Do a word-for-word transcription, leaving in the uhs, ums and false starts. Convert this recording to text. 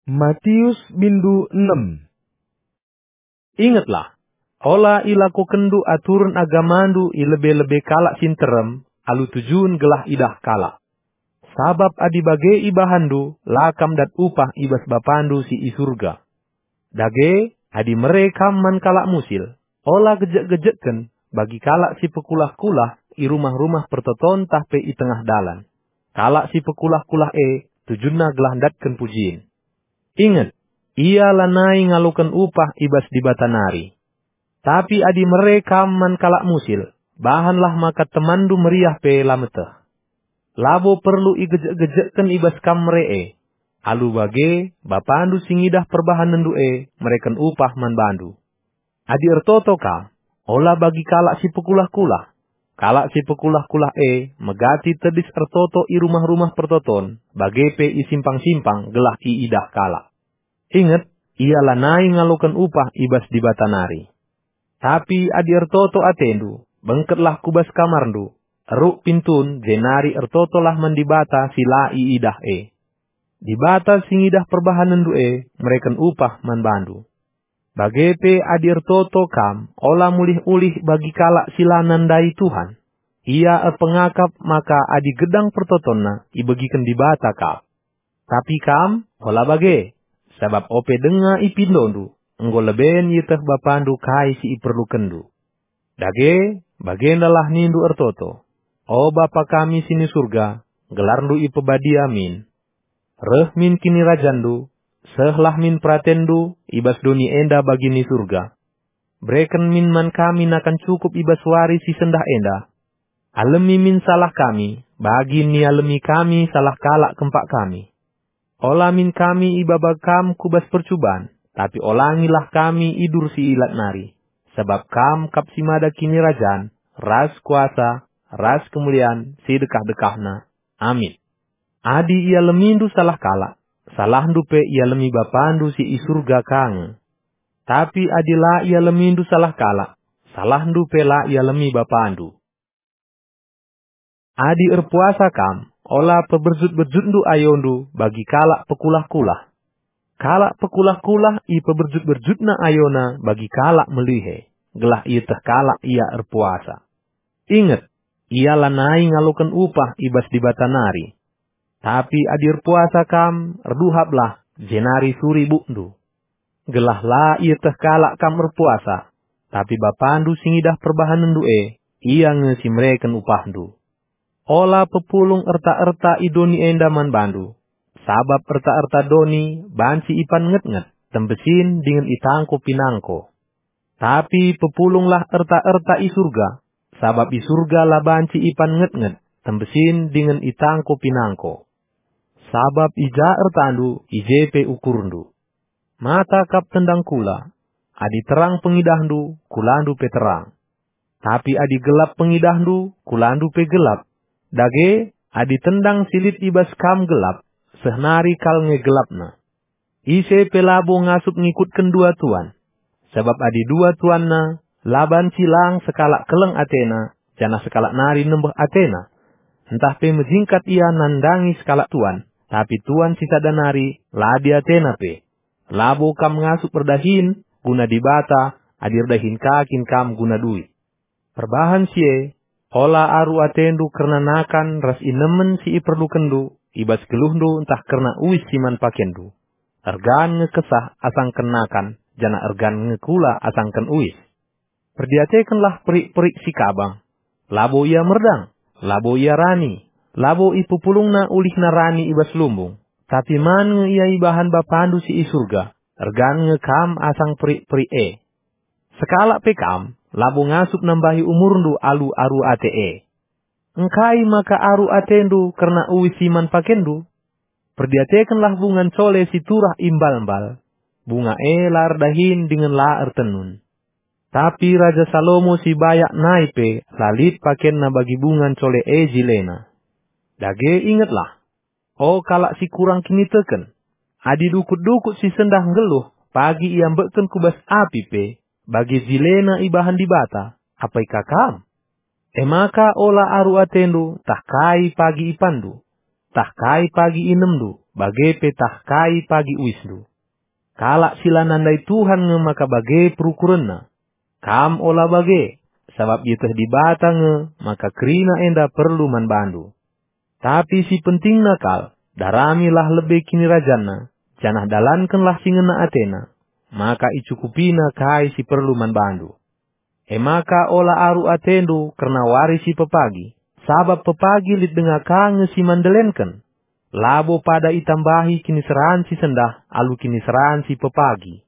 Matius bindu enem. Ingetlah, ola ilakokenndu aturen agamandu i lebe-lebe kalak si nterem alu tujun gelah idah kalak. Sabap adi bage ibahanndu, la kam dat upah i bas Bapandu si i Surga. Dage, adi mere kam man kalak musil, ola gejek-gejekken bagi kalak si pekulah-kulah i rumah-rumah pertoton tah pe i tengah dalan. Kalak si pekulah-kulah e tujunna gelah ndatken pujin. Inget, ia lanai ngaloken upah i bas Dibata nari. Tapi adi mere kam man kalak musil, bahanlah maka temanndu meriah pe la meteh. Labo perlu igejek-gejekken i bas kam mere e. Alu bage, Bapandu si ngidah perbahanenndu e mereken upah man bandu. Adi ertoto kam, ola bagi kalak si pekulah-kulah. Kalak si pekulah-kulah e megati tedis ertoto i rumah-rumah pertoton, bage pe i simpang-simpang gelah iidah kalak. Inget, ia lanai ngaloken upah i bas Dibata nari. Tapi adi ertoto atendu, bengketlah ku bas kamarndu, eruk pintun, jenari ertotolah man Dibata si la iidah e. Dibata si ngidah perbahanenndu e mereken upah man bandu. Bage pe adi ertoto kam, ola mulih-ulih bagi kalak si la nandai Tuhan. Ia erpengakap maka adi gedang pertotonna ibegiken Dibata kap. Tapi kam, ola bage, sabap ope denga ipindondu, enggo leben ieteh Bapandu kai si iperlukenndu. Dage, bagendalah nindu ertoto, "O Bapa kami si ni Surga, gelarNdu ipebadia min. Reh min kinirajanNdu, sehlah min peratenndu i bas doni enda bagi ni Surga. Bereken min man kami nakan cukup i bas wari si sendah enda. Alemi min salah kami, bagi nialemi kami salah kalak kempak kami. Ola min kami ibaba Kam ku bas percuban, tapi olangilah kami idur si ilat nari, sabap Kam kap si mada kinirajan, ras kuasa, ras kemulian si dekah-dekahna. Amin." Adi ialemindu salah kalak, salahndu pe ialemi Bapandu si i Surga ka nge. Tapi adi la ialemindu salah kalak, salahndu pe la ialemi Bapandu. Adi erpuasa kam, ola peberjut-berjutndu ayondu bagi kalak pekulah-kulah. Kalak pekulah-kulah ipeberjut-berjutna ayona bagi kalak melihe, gelah ieteh kalak ia erpuasa. Inget, ia lanai ngaloken upah i bas Dibata nari. Tapi adi erpuasa kam, erduhaplah, jenari suri bukndu. Gelah la ieteh kalak kam erpuasa, tapi Bapandu si ngidah perbahanenndu e, Ia nge si mereken upahndu. Ola pepulung erta-erta i doni enda man bandu, sabap erta-erta doni banci ipan nget-nget, tembesin dingen itangko pinangko. Tapi pepulunglah erta-erta i Surga, sabap i Surga la banci ipan nget-nget, tembesin dingen itangko pinangko. Sabap i ja ertandu, i je pe ukurndu. Mata kap tendang kula. Adi terang pengidahndu, kulandu pe terang. Tapi adi gelap pengidahndu, kulandu pe gelap. Dage, adi tendang si lit i bas kam gelap, seh nari kal nge gelapna. Ise pe labo ngasup ngikutken dua tuan. Sabap adi dua tuanna, la banci lang sekalak keleng atena, janah sekalak nari nembeh atena. Ntah pe mejingkat ia nandangi sekalak tuan, tapi tuan si sada nari la adi atena pe. Labo kam ngasup erdahin guna Dibata, adi erdahin ka kin kam guna duit. Perbahan si e, ola aru atendu kerna nakan ras inemen si iperlukenndu i bas geluhndu ntah kerna uis si man pakenndu. Ergan nge kesah asangken nakan, janah ergan nge kula asangken uis. Perdiatekenlah perik-perik si kabang. Labo ia merdang, labo ia rani, labo ipepulungna ulihna rani i bas lumbung, tapi man nge ia ibahan Bapandu si i Surga, ergan nge kam asang perik-perik e. Sekalak pe kam, labo ngasup nambahi umurndu alu aru ate e. Engkai maka aru atendu kerna uis si man pakenndu? Perdiatekenlah bunga ncole si turah i mbal-mbal. Bunga e la erdahin dingen la ertenun. Tapi Raja Salomo si bayak nai pe la lit pakenna bagi bunga ncole e jilena. Dage ingetlah, o kalak si kurang kiniteken, adi dukut-dukut si sendah nggeluh pagi iambekken ku bas api pe, bage jilena ibahan Dibata, apai ka kam? E maka ola aru atendu tah kai pagi ipanndu, tah kai pagi inemndu, bage pe tah kai pagi uisndu. Kalak si la nandai Tuhan nge maka bage perukurenna. Kam ola bage, sabap ieteh Dibata nge maka kerina enda perlu man bandu. Tapi si pentingna kal, daramilah lebe kinirajanna, janah dalankenlah si ngena atena, maka icukupina kai si perlu man bandu. E maka ola aru atendu kerna wari si pepagi, sabap pepagi lit denga ka nge si man ndelenken. Labo pada itambahi kiniseran si sendah alu kiniseran si pepagi.